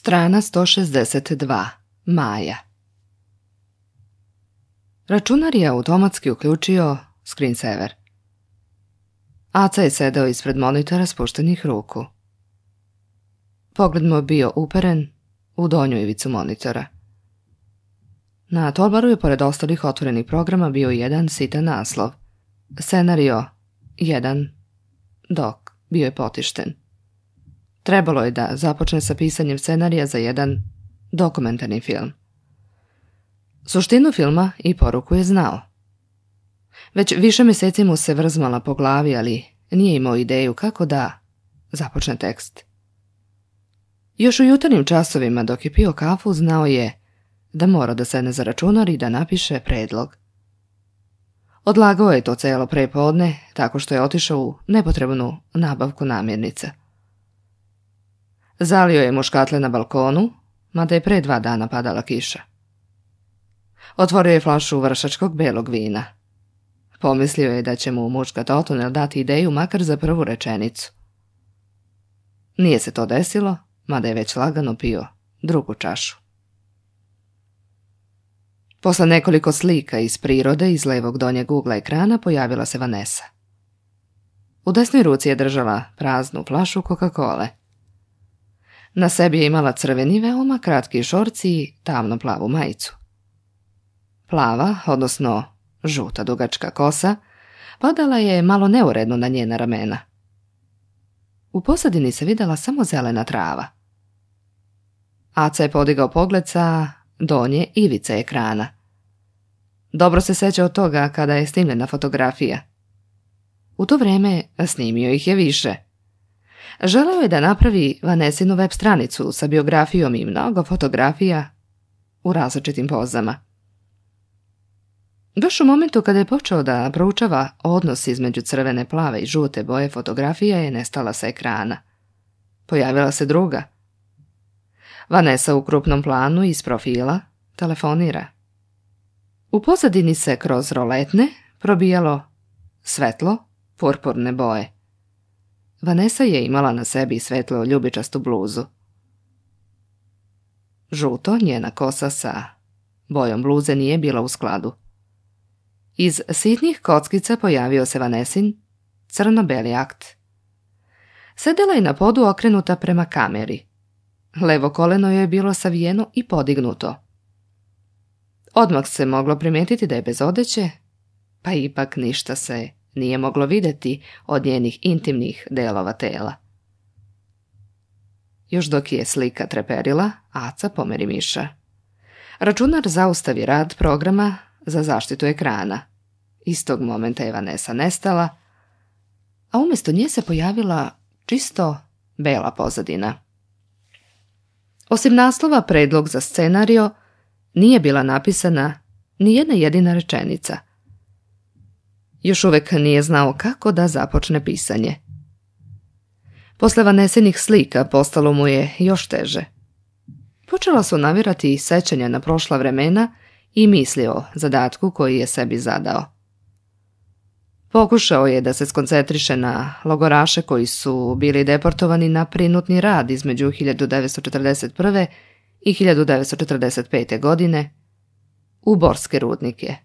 Strana 162. Maja. Računar je automatski uključio screensaver. Aca je sedeo ispred monitora spuštenih ruku. Pogled mu je bio uperen u donju ivicu monitora. Na toolbaru je pored ostalih otvorenih programa bio jedan sitan naslov. Scenario 1. Dok bio je potišten. Trebalo je da započne sa pisanjem scenarija za jedan dokumentarni film. Suštinu filma i poruku je znao. Već više mjeseci mu se vrzmala po glavi, ali nije imao ideju kako da započne tekst. Još u jutarnjim časovima dok je pio kafu znao je da mora da sedne za računar i da napiše predlog. Odlagao je to celo prepodne tako što je otišao u nepotrebnu nabavku namirnica. Zalio je muškatle na balkonu, mada je pre 2 dana padala kiša. Otvorio je flašu vršačkog belog vina. Pomislio je da će mu muška Totunel dati ideju makar za prvu rečenicu. Nije se to desilo, mada je već lagano pio drugu čašu. Posle nekoliko slika iz prirode iz levog donjeg ugla ekrana pojavila se Vanessa. U desnoj ruci je držala praznu flašu Coca-Cole. Na sebi je imala crveni veoma kratki šorci i tamno plavu majicu. Plava, odnosno žuta dugačka kosa, padala je malo neuredno na njena ramena. U pozadini se videla samo zelena trava. Aca je podigao pogled sa donje ivice ekrana. Dobro se seća od toga kada je snimljena fotografija. U to vreme snimio ih je više. Želeo je da napravi Vanessinu web stranicu sa biografijom i mnogo fotografija u različitim pozama. Baš u momentu kada je počeo da proučava odnos između crvene, plave i žute boje, fotografija je nestala sa ekrana. Pojavila se druga. Vanessa u krupnom planu iz profila telefonira. U pozadini se kroz roletne probijalo svetlo purpurne boje. Vanessa je imala na sebi svetlo ljubičastu bluzu. Žuto, njena kosa sa bojom bluze nije bila u skladu. Iz sitnih kockica pojavio se Vanessin crno-beli akt. Sedela je na podu okrenuta prema kameri. Levo koleno joj je bilo savijeno i podignuto. Odmah se moglo primetiti da je bez odeće, pa ipak ništa se nije moglo vidjeti od njenih intimnih delova tela. Još dok je slika treperila, Aca pomeri miša. Računar zaustavi rad programa za zaštitu ekrana. Istog momenta je Vanessa nestala, a umjesto nje se pojavila čisto bela pozadina. Osim naslova predlog za scenario, nije bila napisana ni jedna jedina rečenica. Još uvek nije znao kako da započne pisanje. Posle Vanessinih slika postalo mu je još teže. Počela su navirati sećanja na prošla vremena i misli o zadatku koji je sebi zadao. Pokušao je da se skoncentriše na logoraše koji su bili deportovani na prinutni rad između 1941. i 1945. godine u borske rudnike.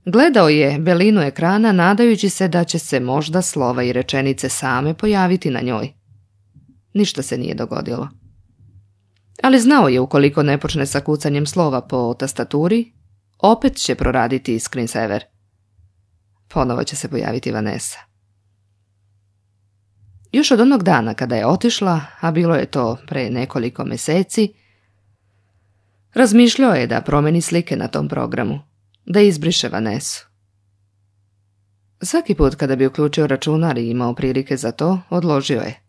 Gledao je belinu ekrana nadajući se da će se možda slova i rečenice same pojaviti na njoj. Ništa se nije dogodilo. Ali znao je ukoliko ne počne sa kucanjem slova po tastaturi, opet će proraditi screensaver. Ponovo će se pojaviti Vanessa. Još od onog dana kada je otišla, a bilo je to pre nekoliko mjeseci, razmišljao je da promeni slike na tom programu, da izbriše Vanessu. Svaki put kada bi uključio računar i imao prilike za to, odložio je.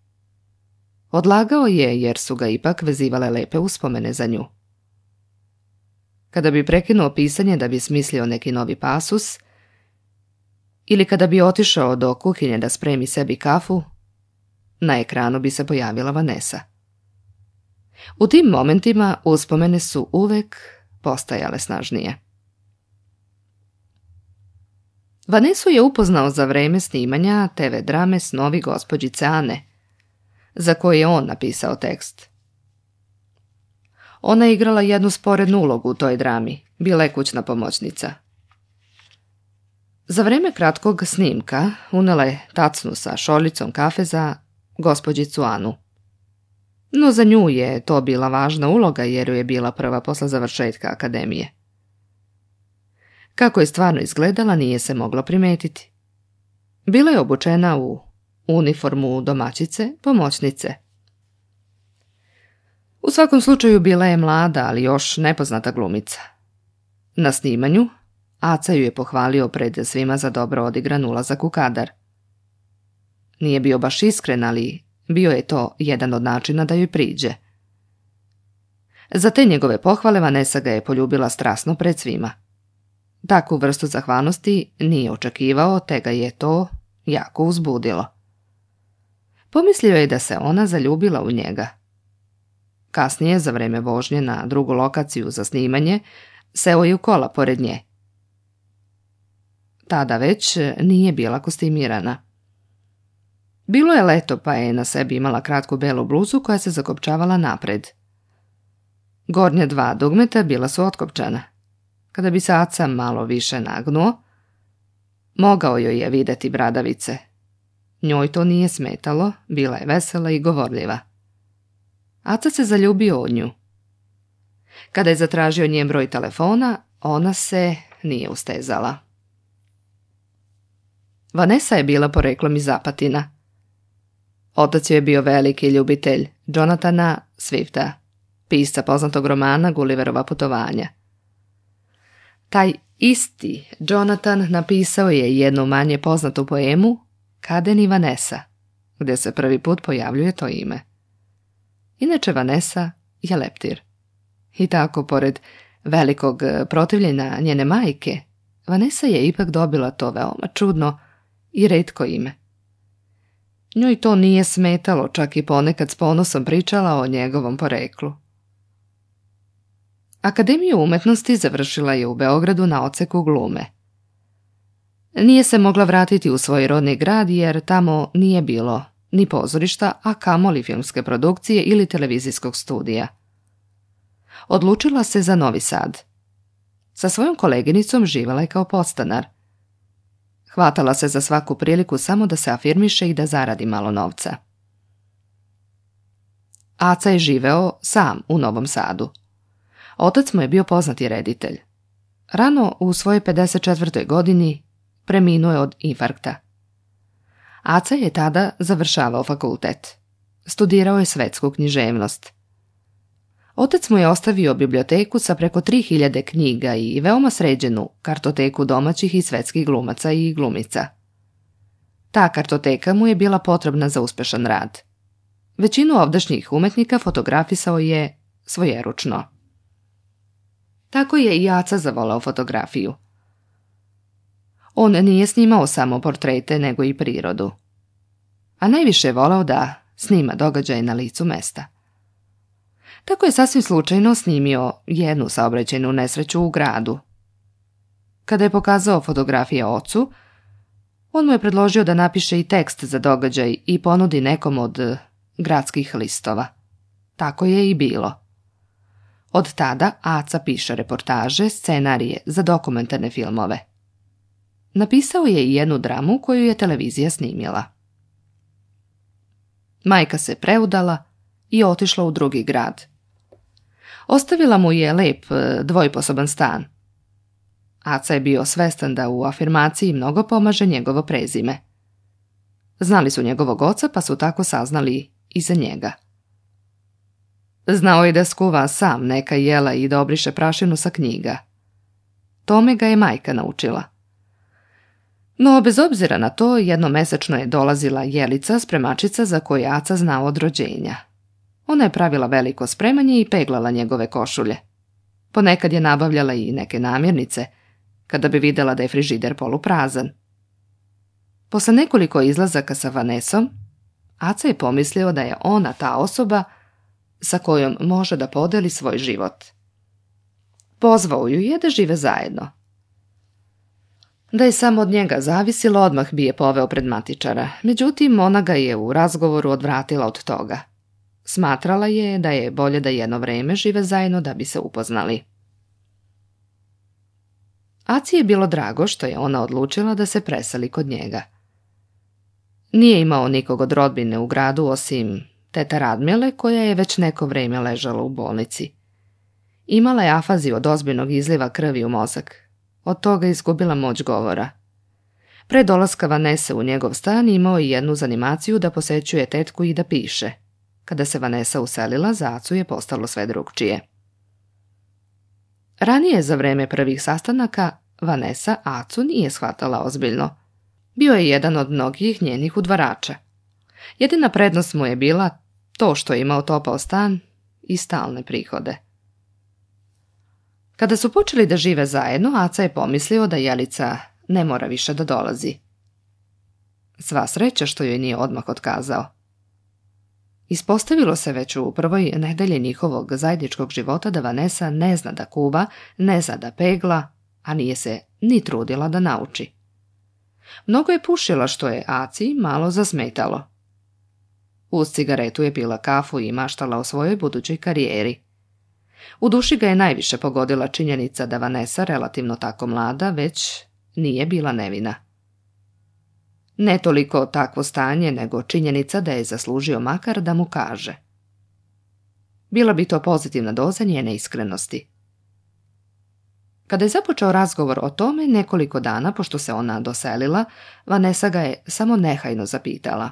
Odlagao je jer su ga ipak vezivale lepe uspomene za nju. Kada bi prekinuo pisanje da bi smislio neki novi pasus, ili kada bi otišao do kuhinje da spremi sebi kafu, na ekranu bi se pojavila Vanessa. U tim momentima uspomene su uvek postajale snažnije. Vanessu je upoznao za vreme snimanja TV drame Snovi gospođice Ane, za koje je on napisao tekst. Ona je igrala jednu sporednu ulogu u toj drami, bila je kućna pomoćnica. Za vreme kratkog snimka unela je tacnu sa šoljicom kafe za gospođicu Anu. No za nju je to bila važna uloga jer ju je bila prva posle završetka akademije. Kako je stvarno izgledala nije se moglo primetiti. Bila je obučena u uniformu domaćice, pomoćnice. U svakom slučaju bila je mlada, ali još nepoznata glumica. Na snimanju Aca ju je pohvalio pred svima za dobro odigran ulazak u kadar. Nije bio baš iskren, ali bio je to jedan od načina da joj priđe. Za te njegove pohvale Vanessa ga je poljubila strasno pred svima. Takvu vrstu zahvalnosti nije očekivao, te ga je to jako uzbudilo. Pomislio je da se ona zaljubila u njega. Kasnije, za vreme vožnje na drugu lokaciju za snimanje, seo je u kola pored nje. Tada već nije bila kostimirana. Bilo je leto, pa je na sebi imala kratku belu bluzu koja se zakopčavala napred. Gornja 2 dugmeta bila su otkopčana. Kada bi se Aca malo više nagnuo, mogao joj je videti bradavice. Njoj to nije smetalo, bila je vesela i govorljiva. Aca se zaljubio u nju. Kada je zatražio njen broj telefona, ona se nije ustezala. Vanessa je bila poreklom iz Apatina. Otac joj je bio veliki ljubitelj Jonathana Swifta, pisca poznatog romana Gulliverova putovanja. Taj isti Jonathan napisao je jednu manje poznatu poemu Kaden i Vanessa, gdje se prvi put pojavljuje to ime. Inače Vanessa je leptir. I tako, pored velikog protivljenja njene majke, Vanessa je ipak dobila to veoma čudno i retko ime. Njoj to nije smetalo, čak i ponekad s ponosom pričala o njegovom poreklu. Akademiju umetnosti završila je u Beogradu na odseku glume. Nije se mogla vratiti u svoj rodni grad jer tamo nije bilo ni pozorišta, a kamoli filmske produkcije ili televizijskog studija. Odlučila se za Novi Sad. Sa svojom koleginicom živjela je kao podstanar. Hvatala se za svaku priliku samo da se afirmiše i da zaradi malo novca. Aca je živeo sam u Novom Sadu. Otac mu je bio poznati reditelj. Rano u svojoj 54. godini preminuo je od infarkta. Aca je tada završavao fakultet. Studirao je svetsku književnost. Otac mu je ostavio biblioteku sa preko 3000 knjiga i veoma sređenu kartoteku domaćih i svetskih glumaca i glumica. Ta kartoteka mu je bila potrebna za uspešan rad. Većinu ovdašnjih umetnika fotografisao je svojeručno. Tako je i Aca zavolao fotografiju. On nije snimao samo portrete, nego i prirodu. A najviše je volao da snima događaje na licu mesta. Tako je sasvim slučajno snimio jednu saobraćajnu nesreću u gradu. Kada je pokazao fotografije ocu, on mu je predložio da napiše i tekst za događaj i ponudi nekom od gradskih listova. Tako je i bilo. Od tada Aca piše reportaže, scenarije za dokumentarne filmove. Napisao je i jednu dramu koju je televizija snimila. Majka se preudala i otišla u drugi grad. Ostavila mu je lep dvojposoban stan. Aca je bio svestan da u afirmaciji mnogo pomaže njegovo prezime. Znali su njegovog oca, pa su tako saznali i za njega. Znao je da skuva sam neka jela i da obriše prašinu sa knjiga. Tome ga je majka naučila. No, bez obzira na to, jednomesečno je dolazila Jelica, spremačica za koju Aca znao od rođenja. Ona je pravila veliko spremanje i peglala njegove košulje. Ponekad je nabavljala i neke namirnice, kada bi vidjela da je frižider poluprazan. Posle nekoliko izlazaka sa Vanessom, Aca je pomislio da je ona ta osoba sa kojom može da podeli svoj život. Pozvao ju je da žive zajedno. Da je samo od njega zavisilo, odmah bi je poveo pred matičara, međutim ona ga je u razgovoru odvratila od toga. Smatrala je da je bolje da jedno vreme žive zajedno da bi se upoznali. Aci je bilo drago što je ona odlučila da se preseli kod njega. Nije imao nikog od rodbine u gradu osim tete Radmile koja je već neko vrijeme ležala u bolnici. Imala je afaziju od ozbiljnog izliva krvi u mozak. Od toga izgubila moć govora. Pre dolaska Vanese u njegov stan imao je jednu zanimaciju da posećuje tetku i da piše. Kada se Vanessa uselila, za Acu je postalo sve drugčije. Ranije za vreme prvih sastanaka Vanessa Acu nije shvatala ozbiljno. Bio je jedan od mnogih njenih udvarača. Jedina prednost mu je bila to što je imao topao stan i stalne prihode. Kada su počeli da žive zajedno, Aca je pomislio da Jelica ne mora više da dolazi. Sva sreća što joj nije odmah otkazao. Ispostavilo se već u prvoj nedelji njihovog zajedničkog života da Vanessa ne zna da kuva, ne zna da pegla, a nije se ni trudila da nauči. Mnogo je pušila što je Aci malo zasmetalo. Uz cigaretu je pila kafu i maštala o svojoj budućoj karijeri. U duši ga je najviše pogodila činjenica da Vanessa, relativno tako mlada, već nije bila nevina. Ne toliko takvo stanje, nego činjenica da je zaslužio makar da mu kaže. Bila bi to pozitivna doza njene iskrenosti. Kada je započeo razgovor o tome, nekoliko dana pošto se ona doselila, Vanessa ga je samo nehajno zapitala.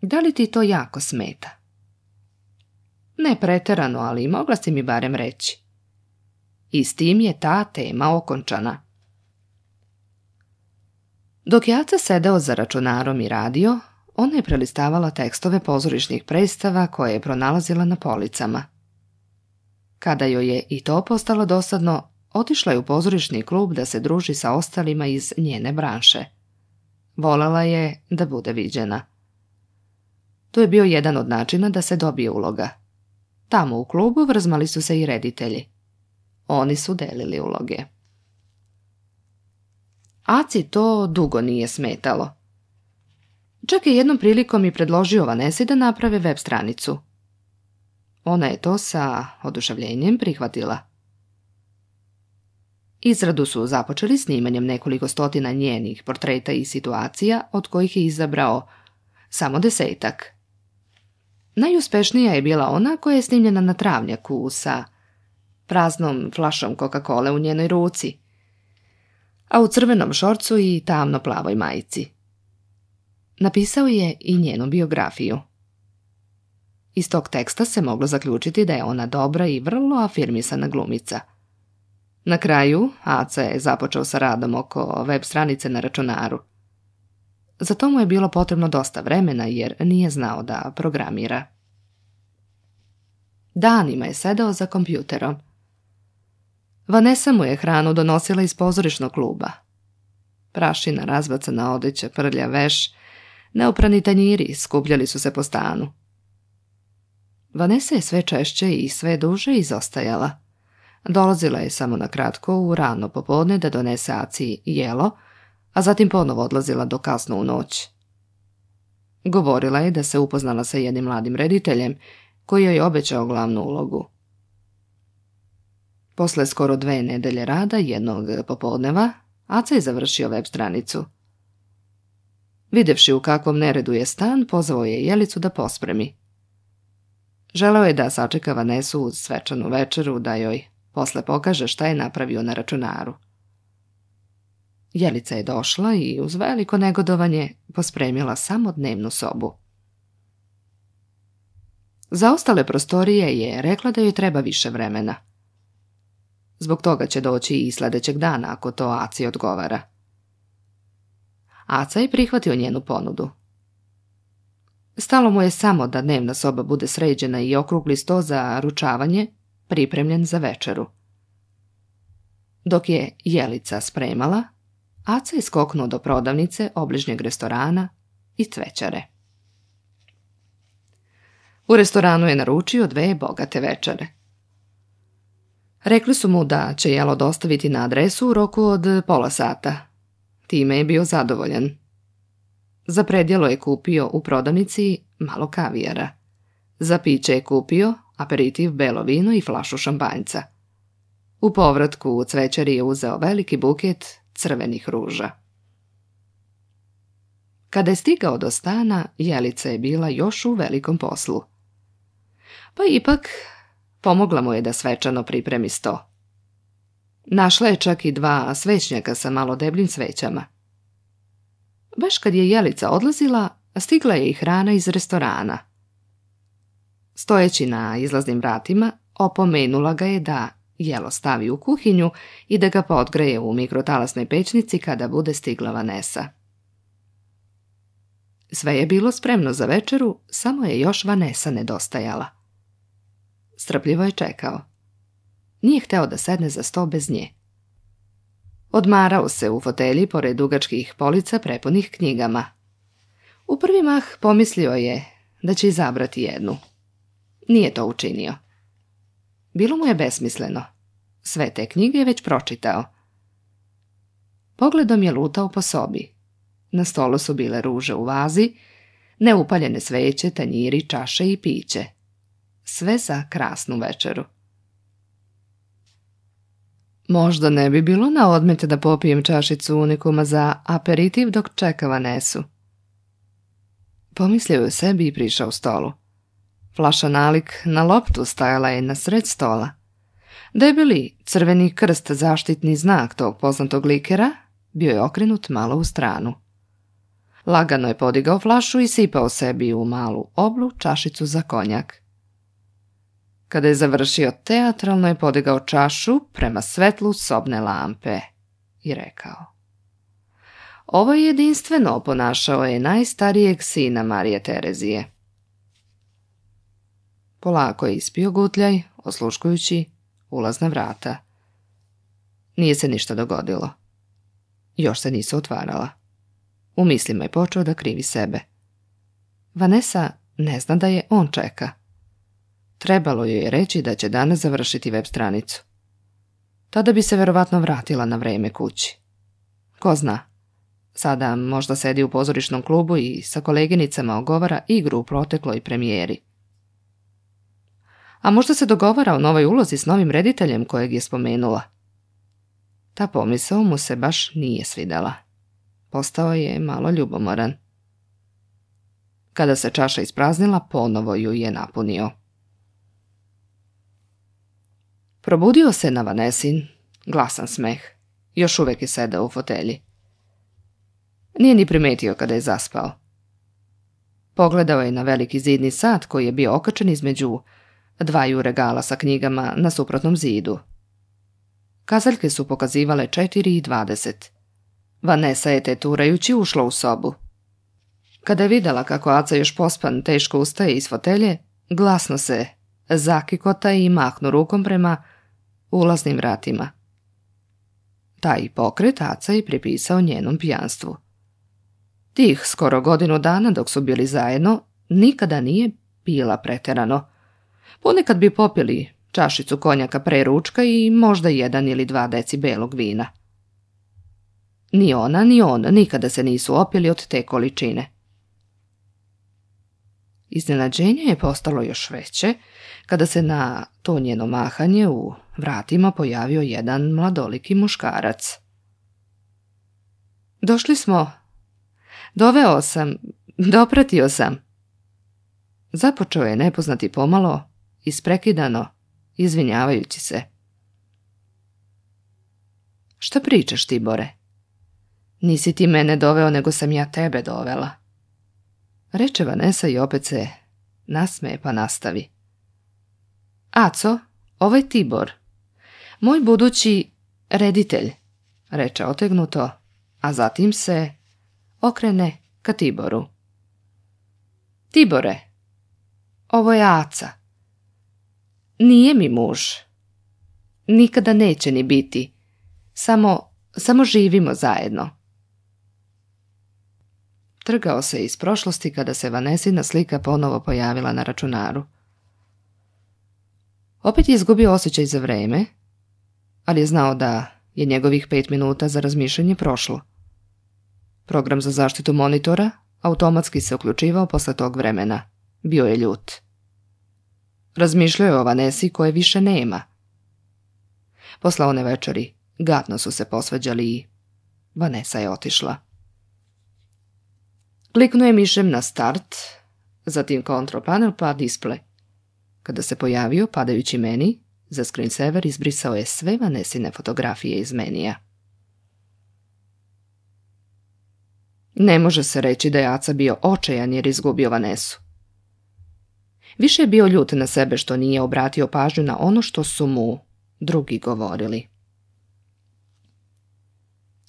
Da li ti to jako smeta? Ne preterano, ali mogla si mi barem reći. I s tim je ta tema okončana. Dok je Aca sedeo za računarom i radio, ona je prelistavala tekstove pozorišnih predstava koje je pronalazila na policama. Kada joj je i to postalo dosadno, otišla je u pozorišni klub da se druži sa ostalima iz njene branše. Volela je da bude viđena. To je bio jedan od načina da se dobije uloga. Tamo u klubu vrzmali su se i reditelji. Oni su delili uloge. Aci to dugo nije smetalo. Čak je jednom prilikom i predložio Vanesi da naprave web stranicu. Ona je to sa oduševljenjem prihvatila. Izradu su započeli snimanjem nekoliko stotina njenih portreta i situacija, od kojih je izabrao samo 10. Najuspešnija je bila ona koja je snimljena na travnjaku sa praznom flašom Coca-Cole u njenoj ruci, a u crvenom šorcu i tamno plavoj majici. Napisao je i njenu biografiju. Iz tog teksta se moglo zaključiti da je ona dobra i vrlo afirmisana glumica. Na kraju, Aca je započeo sa radom oko web stranice na računaru. Za to mu je bilo potrebno dosta vremena jer nije znao da programira. Danima je sedao za kompjuterom. Vanessa mu je hranu donosila iz pozorišnog kluba. Prašina, razbacana odeća, prlja veš, neoprani tanjiri skupljali su se po stanu. Vanessa je sve češće i sve duže izostajala. Dolazila je samo na kratko u rano popodne da donese Aci jelo, a zatim ponovo odlazila do kasno u noć. Govorila je da se upoznala sa jednim mladim rediteljem koji joj je obećao glavnu ulogu. Posle skoro 2 nedelje rada jednog popodneva, Aca je završio web stranicu. Videvši u kakvom neredu je stan, pozvao je Jelicu da pospremi. Želeo je da sačeka Vanesu uz svečanu večeru da joj posle pokaže šta je napravio na računaru. Jelica je došla i uz veliko negodovanje pospremila samo dnevnu sobu. Za ostale prostorije je rekla da joj treba više vremena. Zbog toga će doći i sledećeg dana ako to Aci odgovara. Aca je prihvatio njenu ponudu. Stalo mu je samo da dnevna soba bude sređena i okrugli sto za ručavanje pripremljen za večeru. Dok je Jelica spremala, Aca je skoknuo do prodavnice, obližnjeg restorana i cvećare. U restoranu je naručio 2 bogate večere. Rekli su mu da će jelo dostaviti na adresu u roku od pola sata. Time je bio zadovoljan. Za predjelo je kupio u prodavnici malo kavijara. Za piće je kupio aperitiv, belo vino i flašu šampanjca. U povratku u cvećari je uzeo veliki buket crvenih ruža. Kada je stigao do stana, Jelica je bila još u velikom poslu. Pa ipak pomogla mu je da svečano pripremi sto. Našla je čak i 2 svećnjaka sa malo debljim svećama. Baš kad je Jelica odlazila, stigla je i hrana iz restorana. Stojeći na izlaznim vratima, opomenula ga je da jelo stavi u kuhinju i da ga podgreje u mikrotalasnoj pećnici kada bude stigla Vanesa. Sve je bilo spremno za večeru, samo je još Vanesa nedostajala. Strpljivo je čekao. Nije hteo da sedne za sto bez nje. Odmarao se u fotelji pored dugačkih polica prepunih knjigama. U prvi mah pomislio je da će izabrati jednu. Nije to učinio. Bilo mu je besmisleno. Sve te knjige je već pročitao. Pogledom je lutao po sobi. Na stolu su bile ruže u vazi, neupaljene sveće, tanjiri, čaše i piće. Sve za krasnu večeru. Možda ne bi bilo na odmet da popijem čašicu unikuma za aperitiv dok čeka Vanesu. Pomislio je o sebi i prišao stolu. Flaša nalik na loptu stajala je na sred stola. Debeli crveni krst, zaštitni znak tog poznatog likera, bio je okrenut malo u stranu. Lagano je podigao flašu i sipao sebi u malu oblu čašicu za konjak. Kada je završio, teatralno je podigao čašu prema svetlu sobne lampe i rekao: Ovo je jedinstveno, ponašao je najstarijeg sina Marije Terezije. Polako je ispio gutljaj, osluškujući ulazna vrata. Nije se ništa dogodilo. Još se nisu otvarala. U mislima je počeo da krivi sebe. Vanesa ne zna da je on čeka. Trebalo joj je reći da će danas završiti web stranicu. Tada bi se verovatno vratila na vreme kući. Ko zna, sada možda sedi u pozorišnom klubu i sa koleginicama ogovara igru u protekloj premijeri. A možda se dogovara o novoj ulozi s novim rediteljem kojeg je spomenula. Ta pomisao mu se baš nije svidela. Postao je malo ljubomoran. Kada se čaša ispraznila, ponovo ju je napunio. Probudio se na Vanesin glasan smeh. Još uvek je sedao u fotelji. Nije ni primetio kada je zaspao. Pogledao je na veliki zidni sat koji je bio okačen između 2 regala sa knjigama na suprotnom zidu. Kazaljke su pokazivale 4:20. Vanesa je teturajući ušla u sobu. Kada je videla kako Aca još pospan teško ustaje iz fotelje, glasno se zakikota i mahnu rukom prema ulaznim vratima. Taj pokret Aca je pripisao njenom pijanstvu. Tih skoro godinu dana dok su bili zajedno nikada nije pila preterano. Ponekad bi popili čašicu konjaka pre ručka i možda 1 ili 2 deci belog vina. Ni ona ni on nikada se nisu opili od te količine. Iznenađenje je postalo još veće kada se na to njeno mahanje u vratima pojavio jedan mladoliki muškarac. Došli smo. Doveo sam. Dopratio sam. Započeo je nepoznati pomalo, isprekidano, izvinjavajući se. Šta pričaš, Tibore? Nisi ti mene doveo, nego sam ja tebe dovela. Reče Vanesa i opet se nasmeje pa nastavi. Aco, ovo je Tibor. Moj budući reditelj, reče otegnuto, a zatim se okrene ka Tiboru. Tibore, ovo je Aca. Nije mi muž. Nikada neće ni biti. Samo živimo zajedno. Trgao se iz prošlosti kada se Vanesina slika ponovo pojavila na računaru. Opet je izgubio osjećaj za vreme, ali je znao da je njegovih 5 minuta za razmišljanje prošlo. Program za zaštitu monitora automatski se uključivao posle tog vremena. Bio je ljut. Razmišljao je o Vanesi koje više nema. Posle one večeri gadno su se posvađali i Vanesa je otišla. Kliknuo je mišem na start, zatim control panel pa display. Kada se pojavio padajući meni, za screensaver izbrisao je sve Vanesine fotografije iz menija. Ne može se reći da je Aca bio očajan jer izgubio Vanesu. Više je bio ljut na sebe što nije obratio pažnju na ono što su mu drugi govorili.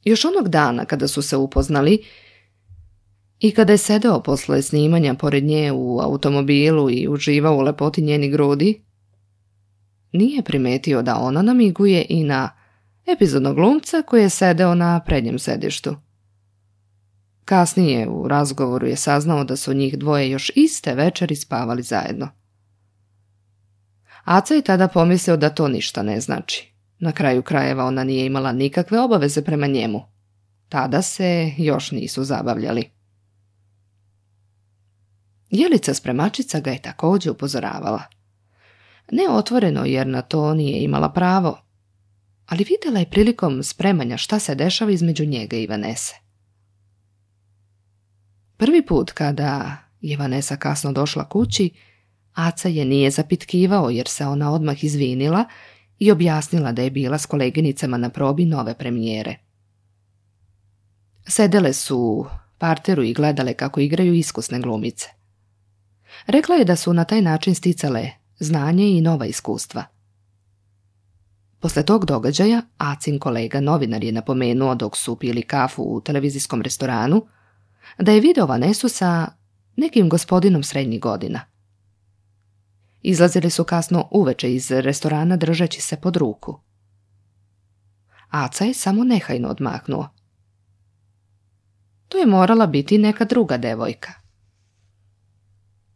Još onog dana kada su se upoznali i kada je sedeo posle snimanja pored nje u automobilu i uživao u lepoti njeni grudi, nije primetio da ona namiguje i na epizodnog glumca koji je sedeo na prednjem sedištu. Kasnije u razgovoru je saznao da su njih dvoje još iste večeri spavali zajedno. Aca je tada pomislio da to ništa ne znači. Na kraju krajeva ona nije imala nikakve obaveze prema njemu. Tada se još nisu zabavljali. Jelica spremačica ga je također upozoravala. Ne otvoreno jer na to nije imala pravo, ali vidjela je prilikom spremanja šta se dešava između njega i Vanese. Prvi put kada je Vanesa kasno došla kući, Aca je nije zapitkivao jer se ona odmah izvinila i objasnila da je bila s koleginicama na probi nove premijere. Sedele su u parteru i gledale kako igraju iskusne glumice. Rekla je da su na taj način sticale znanje i nova iskustva. Posle tog događaja, Acin kolega novinar je napomenuo dok su pili kafu u televizijskom restoranu da je video Vanesu sa nekim gospodinom srednjih godina. Izlazili su kasno uveče iz restorana držeći se pod ruku. Aca je samo nehajno odmahnuo. To je morala biti neka druga devojka.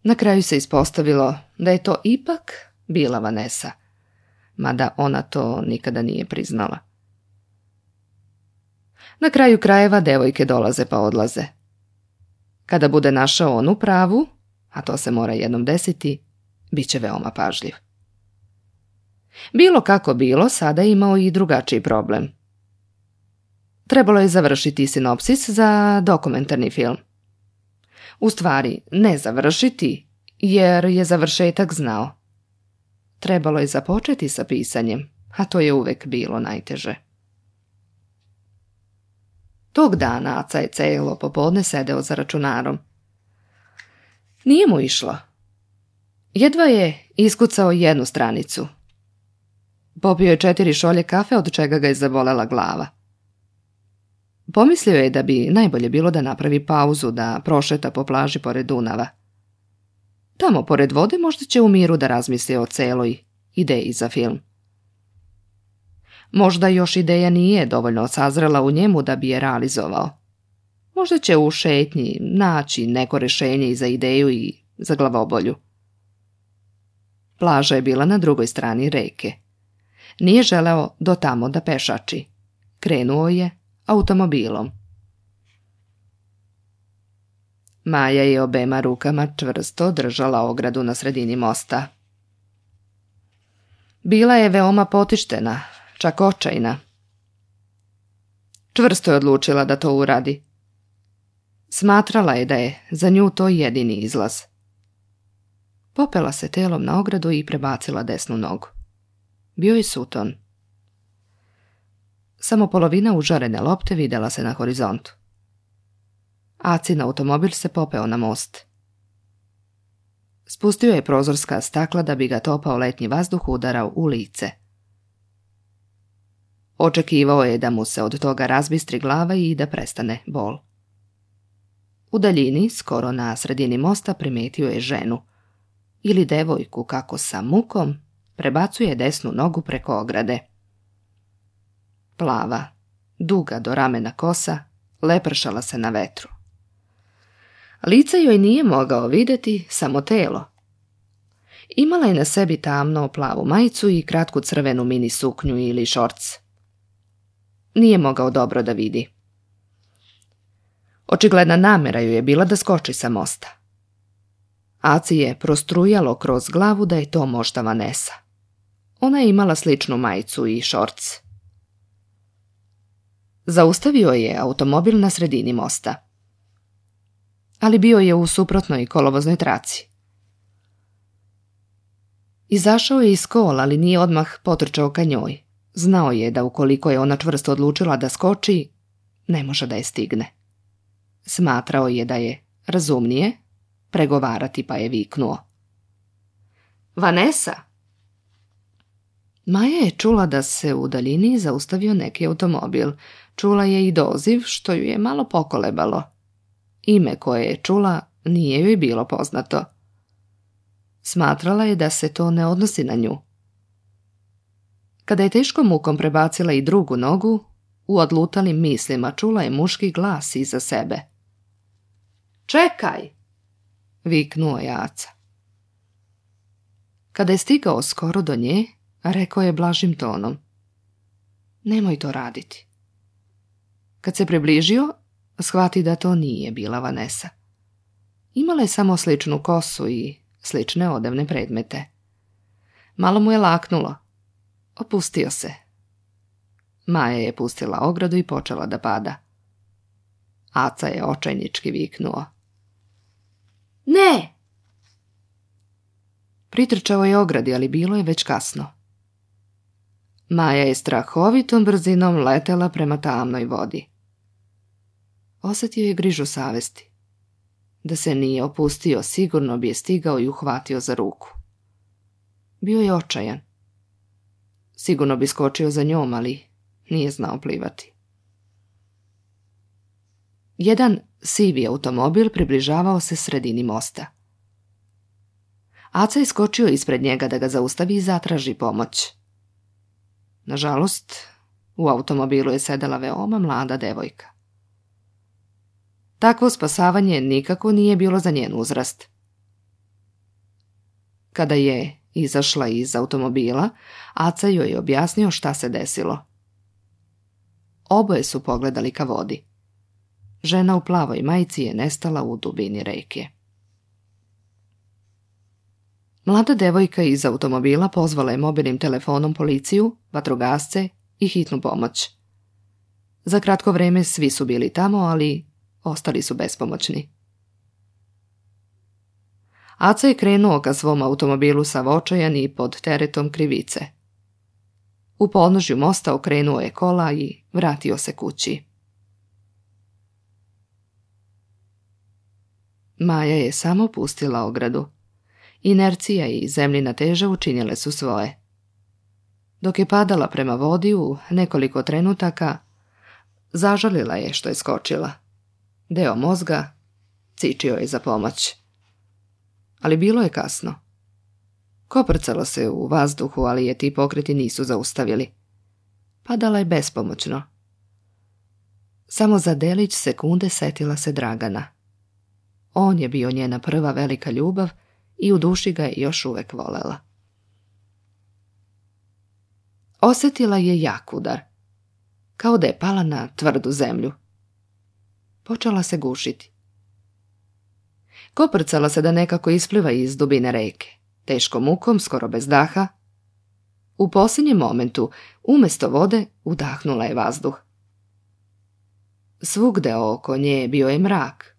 Na kraju se ispostavilo da je to ipak bila Vanesa, mada ona to nikada nije priznala. Na kraju krajeva devojke dolaze pa odlaze. Kada bude našao onu pravu, a to se mora jednom desiti, bit će veoma pažljiv. Bilo kako bilo, sada je imao i drugačiji problem. Trebalo je završiti sinopsis za dokumentarni film. U stvari, ne završiti, jer je završetak znao. Trebalo je započeti sa pisanjem, a to je uvek bilo najteže. Tog dana Aca je celo popodne sedeo za računarom. Nije mu išlo. Jedva je iskucao jednu stranicu. Popio je 4 šolje kafe, od čega ga je zabolela glava. Pomislio je da bi najbolje bilo da napravi pauzu, da prošeta po plaži pored Dunava. Tamo, pored vode, možda će u miru da razmisli o celoj ideji za film. Možda još ideja nije dovoljno sazrela u njemu da bi je realizovao. Možda će u šetnji naći neko rešenje i za ideju i za glavobolju. Plaža je bila na drugoj strani reke. Nije želeo do tamo da pešači. Krenuo je automobilom. Maja je obema rukama čvrsto držala ogradu na sredini mosta. Bila je veoma potištena, čak očajna. Čvrsto je odlučila da to uradi. Smatrala je da je za nju to jedini izlaz. Popela se telom na ogradu i prebacila desnu nogu. Bio je suton. Samo polovina užarene lopte videla se na horizontu. Acin automobil se popeo na most. Spustio je prozorska stakla da bi ga topao letnji vazduh udarao u lice. Očekivao je da mu se od toga razbistri glava i da prestane bol. U daljini, skoro na sredini mosta, primetio je ženu ili devojku kako sa mukom prebacuje desnu nogu preko ograde. Plava, duga do ramena kosa, lepršala se na vetru. Lice joj nije mogao vidjeti, samo telo. Imala je na sebi tamno plavu majicu i kratku crvenu mini suknju ili šorc. Nije mogao dobro da vidi. Očigledna namjera joj je bila da skoči sa mosta. Aci je prostrujalo kroz glavu da je to možda Vanessa. Ona je imala sličnu majicu i šorc. Zaustavio je automobil na sredini mosta. Ali bio je u suprotnoj kolovoznoj traci. Izašao je iz kola, ali nije odmah potrčao ka njoj. Znao je da ukoliko je ona čvrsto odlučila da skoči, ne može da je stigne. Smatrao je da je razumnije pregovarati, pa je viknuo: Vanessa! Maja je čula da se u daljini zaustavio neki automobil. Čula je i doziv, što ju je malo pokolebalo. Ime koje je čula nije joj bilo poznato. Smatrala je da se to ne odnosi na nju. Kada je teškom mukom prebacila i drugu nogu, u odlutalim mislima čula je muški glas iza sebe. Čekaj! Viknuo je Aca. Kada je stigao skoro do nje, rekao je blažim tonom: Nemoj to raditi. Kad se približio, shvati da to nije bila Vanessa. Imala je samo sličnu kosu i slične odevne predmete. Malo mu je laknulo. Opustio se. Maja je pustila ogradu i počela da pada. Aca je očajnički viknuo: Ne! Pritrčao je ogradi, ali bilo je već kasno. Maja je strahovitom brzinom letela prema tamnoj vodi. Osjetio je grižu savesti. Da se nije opustio, sigurno bi je stigao i uhvatio za ruku. Bio je očajan. Sigurno bi skočio za njom, ali nije znao plivati. Jedan sivi automobil približavao se sredini mosta. Aca je skočio ispred njega da ga zaustavi i zatraži pomoć. Nažalost, u automobilu je sedela veoma mlada devojka. Takvo spasavanje nikako nije bilo za njen uzrast. Kada je izašla iz automobila, Aca joj je objasnio šta se desilo. Oboje su pogledali ka vodi. Žena u plavoj majici je nestala u dubini reke. Mlada devojka iz automobila pozvala je mobilnim telefonom policiju, vatrogasce i hitnu pomoć. Za kratko vreme svi su bili tamo, ali ostali su bespomoćni. Aca je krenuo ka svom automobilu sav očajan i pod teretom krivice. U podnožju mosta okrenuo je kola i vratio se kući. Maja je samo pustila ogradu. Inercija i zemljina teža učinile su svoje. Dok je padala prema vodi u nekoliko trenutaka, zažalila je što je skočila. Deo mozga cičio je za pomoć. Ali bilo je kasno. Koprcalo se u vazduhu, ali je ti pokreti nisu zaustavili. Padala je bespomoćno. Samo za delić sekunde setila se Dragana. On je bio njena prva velika ljubav i u duši ga je još uvek volela. Osjetila je jak udar, kao da je pala na tvrdu zemlju. Počela se gušiti. Koprcala se da nekako ispliva iz dubine reke, teškom mukom, skoro bez daha. U posljednjem momentu, umjesto vode, udahnula je vazduh. Svugde oko nje bio je mrak.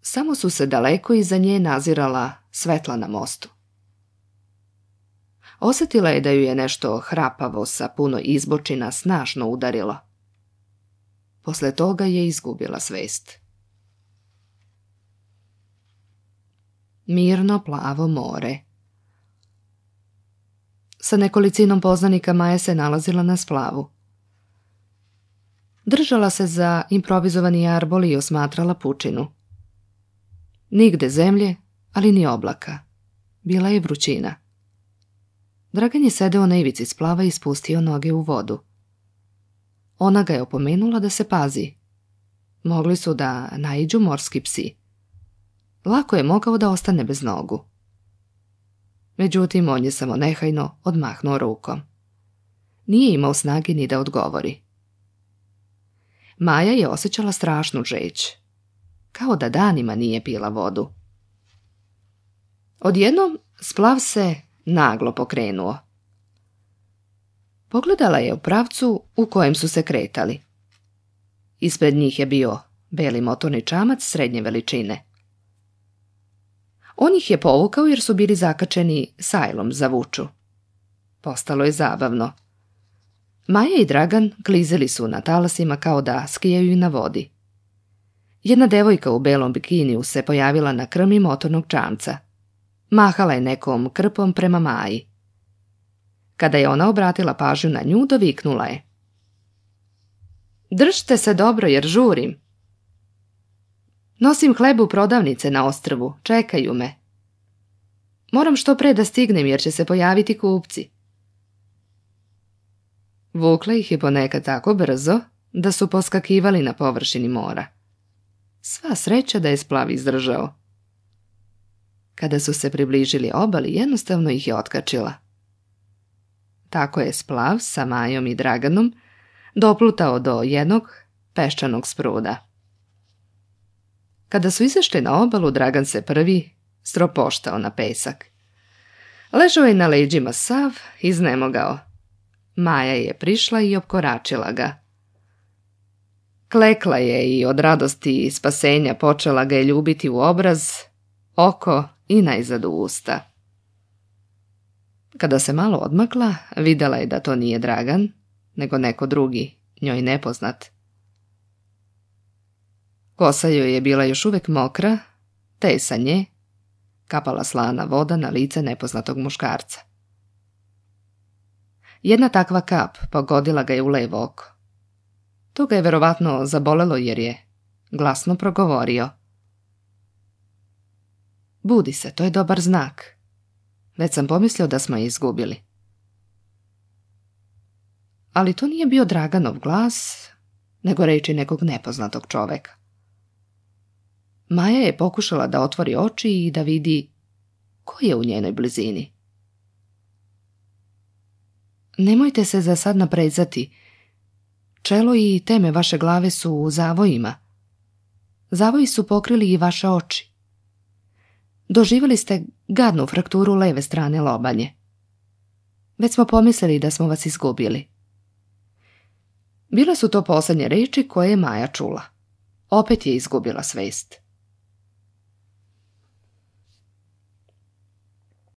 Samo su se daleko iza nje nazirala svetla na mostu. Osjetila je da ju je nešto hrapavo sa puno izbočina snažno udarilo. Posle toga je izgubila svest. Mirno plavo more. Sa nekolicinom poznanika Maja se nalazila na splavu. Držala se za improvizovani jarbol i osmatrala pučinu. Nigde zemlje, ali ni oblaka. Bila je vrućina. Dragan je sedeo na ivici splava i spustio noge u vodu. Ona ga je opomenula da se pazi. Mogli su da naiđu morski psi. Lako je mogao da ostane bez nogu. Međutim, on je samo nehajno odmahnuo rukom. Nije imao snage ni da odgovori. Maja je osjećala strašnu žeđ. Kao da danima nije pila vodu. Odjednom splav se naglo pokrenuo. Pogledala je u pravcu u kojem su se kretali. Ispred njih je bio beli motorni čamac srednje veličine. On ih je povukao jer su bili zakačeni sajlom za vuču. Postalo je zabavno. Maja i Dragan klizili su na talasima kao da skijaju na vodi. Jedna devojka u belom bikiniju se pojavila na krmi motornog čamca. Mahala je nekom krpom prema Maji. Kada je ona obratila pažnju na nju, doviknula je: "Držite se dobro jer žurim. Nosim hleb u prodavnice na ostrvu, čekaju me. Moram što pre da stignem jer će se pojaviti kupci." Vukla ih je ponekad tako brzo da su poskakivali na površini mora. Sva sreća da je splav izdržao. Kada su se približili obali, jednostavno ih je otkačila. Tako je splav sa Majom i Draganom doplutao do jednog peščanog spruda. Kada su izašli na obalu, Dragan se prvi stropoštao na pesak. Ležao je na leđima sav, iznemogao. Maja je prišla i opkoračila ga. Klekla je i od radosti i spasenja počela ga je ljubiti u obraz, oko i najzad u usta. Kada se malo odmakla, videla je da to nije Dragan, nego neko drugi, njoj nepoznat. Kosa joj je bila još uvek mokra, te je sa nje kapala slana voda na lice nepoznatog muškarca. Jedna takva kap pogodila ga je u levo oko. To ga je verovatno zabolelo jer je glasno progovorio: "Budi se, to je dobar znak. Već sam pomislio da smo je izgubili." Ali to nije bio Draganov glas, nego reči nekog nepoznatog čoveka. Maja je pokušala da otvori oči i da vidi ko je u njenoj blizini. "Nemojte se za sad naprezati. Čelo i teme vaše glave su u zavojima. Zavoji su pokrili i vaše oči. Doživjeli ste gadnu frakturu leve strane lobanje. Već smo pomislili da smo vas izgubili." Bile su to posljednje reči koje je Maja čula. Opet je izgubila svest.